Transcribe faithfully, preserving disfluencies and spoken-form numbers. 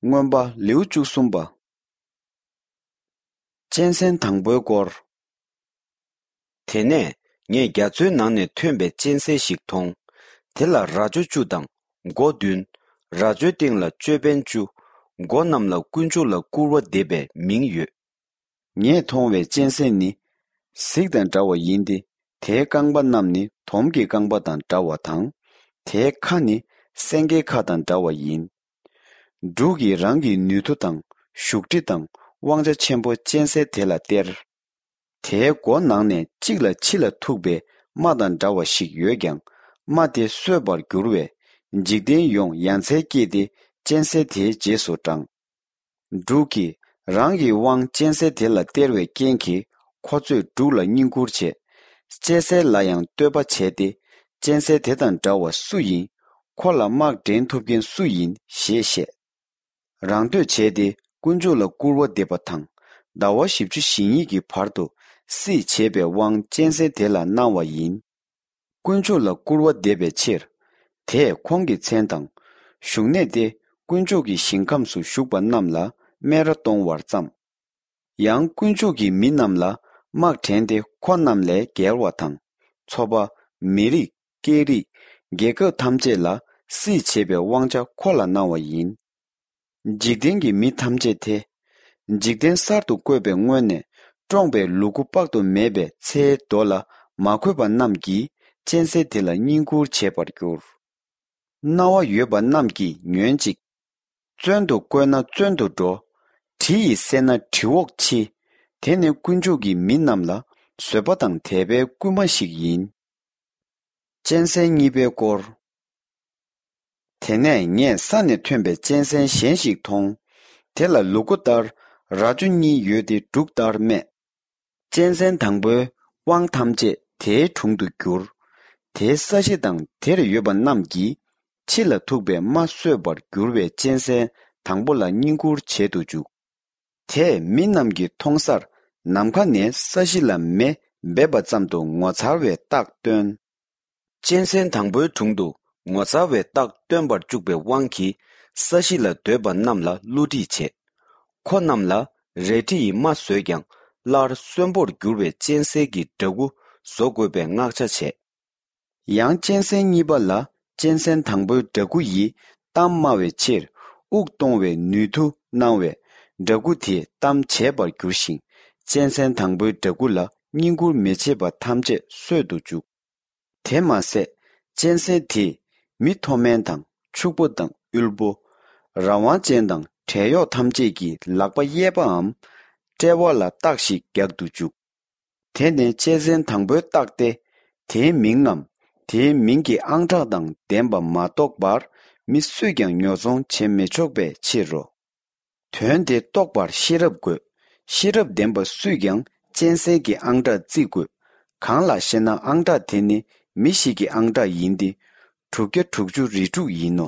མངོན་པ་ལེའུ་བཅུ་གསུམ་པ། གཅན་གཟན་དང་པོའི་སྐོར། དེ་ནས་ངས་རྒྱ་མཚོའི་ནང་ནས་ཐོན་པའི་གཅན་གཟན་ཞིག་མཐོང་། དེ་ལ་རྭ་ཅོ་བཅུ་དང་མགོ་བདུན། རྭ་ཅོའི་སྟེང་ལ་ཅོད་པན་བཅུ། མགོ་རྣམས་ལ་དཀོན་མཆོག་ལ་བཀུར་བ་འདེབས་པའི་མིང་ཡོད། ངས་མཐོང་བའི་གཅན་གཟན་ནི་གཟིག་དང་འདྲ་བ་ཡིན་ཏེ། དེའི་རྐང་པ་རྣམས་ནི་དོམ་གྱི་རྐང་པ་དང་འདྲ་བ་དང་། དེའི་ཁ་ནི་སེང་གེའི་ཁ་དང་འདྲ་བ་ཡིན། འབྲུག་གིས་རང་གི་ནུས་མཐུ་དང་བཞུགས་ཁྲི་དང་དབང་ཆ་ཆེན་པོ་གཅན་གཟན་དེ་ལ་སྟེར། དེའི་མགོ་ནང་ནས་གཅིག་ལ་ཕྱི་ལ་ཐུག་པའི་རྨ་དང་འདྲ་བ་ཞིག་ཡོད་ཀྱང་། རྨ་དེ་གསོད་པར་འགྱུར་བས། འཇིག་རྟེན་ཡོངས་ཡ་མཚན་སྐྱེས་ཏེ། གཅན་གཟན་དེའི་རྗེས་སུ་འབྲངས། འབྲུག་གིས་རང་གི་དབང་གཅན་གཟན་དེ་ལ་སྟེར་བའི་རྐྱེན་གྱིས། ཁོ་ཚོས་འབྲུག་ལ་བསྙེན་བཀུར་བྱས། གཅན་གཟན་ལ་ཡང་བསྟོད་པ་བྱས་ཏེ། གཅན་གཟན་དེ་དང་འདྲ་བ་སུ་ཡིན། ཁོ་ལ་དམག་འདྲེན་ཐུབ་མཁན་སུ་ཡིན་ཞེས་བཤད། རང་བསྟོད་བྱས་ཏེ་དཀོན་མཆོག་ལ་སྐུར་བ་འདེབས་པ་དང་། ཟླ་བ་བཞི་བཅུ་ཞེ་གཉིས་ཀྱི་བར་དུ་སྲིད་བྱེད་པའི་དབང་གཅན་གཟན་དེ་ལ་གནང་བ་ཡིན། དཀོན་མཆོག་ལ་སྐུར་བ་འདེབས་པའི་ཕྱིར། དེས་ཁོང་གི་མཚན་དང་། བཞུགས་གནས་ཏེ། དཀོན་མཆོག་གི་ཞིང་ཁམས་སུ་བཞུགས་པ་རྣམས་ལ་སྨད་ར་གཏོང་བར་བརྩམས། ཡང་དཀོན་མཆོག་གི་མི་རྣམས་ལ་དམག་འདྲེན་ཏེ། ཁོ་རྣམས་ལས་རྒྱལ་བ་དང་། ཚོ་པ། མི་རིགས། སྐད་རིགས། རྒྱལ་ཁབ་ཐམས་ཅད་ལ་སྲིད་བྱེད་པའི་དབང་ཆ་ཁོ་ལ་གནང་བ་ཡིན། འཇིག་རྟེན་གྱི་མི་ཐམས་ཅད་དེ། འཇིག་རྟེན་གསར་དུ་བཀོད་པའི་སྔོན་ནས་བཀྲོངས་པའི་ལུ་གུ་དཔག་ཏུ་མེད་པའི་ཚེའི་མདོ་ལ་མ་འཁོད་པ་རྣམས་ཀྱིས་གཅན་གཟན་དེ་ལ་བསྙེན་བཀུར་བྱེད་པར་འགྱུར། རྣ་བ་ཡོད་པ་རྣམས་ཀྱིས་ཉོན་ཅིག། བཙོན་དུ་བཀོད་ན་བཙོན་དུ་འགྲོ། གྲི་ཡིས་བསད་ན་གྲི་འོག་འཆི། དེ་ནི་དཀོན་མཆོག་གི་མི་རྣམས་ལ་བཟོད་པ་དང་དད་པའི་སྐུལ་མ་ཞིག་ཡིན། གཅན་གཟན་གཉིས་པའི་སྐོར། དེ་ནས་ངས་ས་ནས་ཐོན་པའི་གཅན་གཟན་གཞན་ཞིག་མཐོང་། དེ་ལ་ལུ་གུ་ལྟར་རྭ་ཅོ་གཉིས་ཡོད་དེ། འབྲུག་ལྟར་སྨད། གཅན་གཟན་དང་པོའི་དབང་ཐམས་ཅད་དེའི་དྲུང་དུ་བསྒྱུར། དེའི་ས་གཞི་དང་དེར་ཡོད་པ་རྣམས་ཀྱིས་ཕྱི་ལ་ཐུག་པའི་རྨ་གསོད་པར་འགྱུར་བའི་གཅན་གཟན་དང་པོ་ལ་བསྙེན་བཀུར་བྱེད་དུ་འཇུག། དེས་མི་རྣམས་ཀྱིས་མཐོང་སར་ནམ་མཁའ་ནས་ས་གཞི་ལ་མེ་འབེབས་པ་ཙམ་དུ་ངོ་མཚར་བའི་རྟགས་སྟོན། གཅན་གཟན་དང་པོའི་དྲུང་དུ་ངོ་མཚར་བའི་རྟགས་སྟོན་པར་བཅུག་པའི་དབང་གིས། ས་གཞི་ལ་སྡོད་པ་རྣམས་ལ་བསླུ་བྲིད་བྱས། ཁོ་རྣམས་ལ་རལ་གྲི་ཡིས་རྨ་བཟོས་ཀྱང་། སླར་གསོན་པོར་འགྱུར་བའི་གཅན་གཟན་གྱི་འདྲ་སྐུ་བཟོ་དགོས་པའི་མངགས་ཆ་བྱས། ཡང་གཅན་གཟན་གཉིས་པ་ལ་གཅན་གཟན་དང་པོའི་འདྲ་སྐུ་ཡིས་གཏམ་སྨྲ་བའི་ཕྱིར། དབུགས་གཏོང་བའི་ནུས་མཐུ་གནང་བས། འདྲ་སྐུ་དེས་གཏམ་བྱས་པར་འགྱུར་ཞིང་། གཅན་གཟན་དང་པོའི་འདྲ་སྐུ་ལ་བསྙེན་བཀུར་མི་བྱེད་པ་ཐམས་ཅད་གསོད་དུ་འཇུག། དེ་མ་ཟད། གཅན་གཟན་དེས་མི་མཐོ་དམན་དང་ཕྱུག་པོ་དང་དབུལ་པོ། རང་དབང་ཅན་དང་བྲན་གཡོག་ཐམས་ཅད་ཀྱི་ལག་པ་གཡས་པའམ་དཔྲལ་བ་ལ་རྟགས་ཤིག་རྒྱག་ཏུ་འཇུག། དེ་ནི་གཅན་གཟན་དང་པོའི་རྟགས་ཏེ། དེའི་མིང་ངམ། དེའི་མིང་གི་ཨང་གྲངས་དང་ལྡན་པ་མ་གཏོགས་པར་མི་སུས་ཀྱང་ཉོ་ཚོང་བྱེད་མི་ཆོག་པའི་ཕྱིར་རོ། དོན་དེ་རྟོགས་པར་ཤེས་རབ་དགོས། ཤེས་རབ་ལྡན་པ་སུས་ཀྱང་གཅན་གཟན་གྱི་ཨང་གྲངས་བརྩི་དགོས། གང་ལགས་ཤེ་ན། ཨང་གྲངས་དེ་ནི་མི་ཞིག་གི་ཨང་གྲངས་ཡིན་ཏེ། དྲུག་བརྒྱ་དྲུག་ཅུ་རེ་དྲུག་ཡིན་ནོ།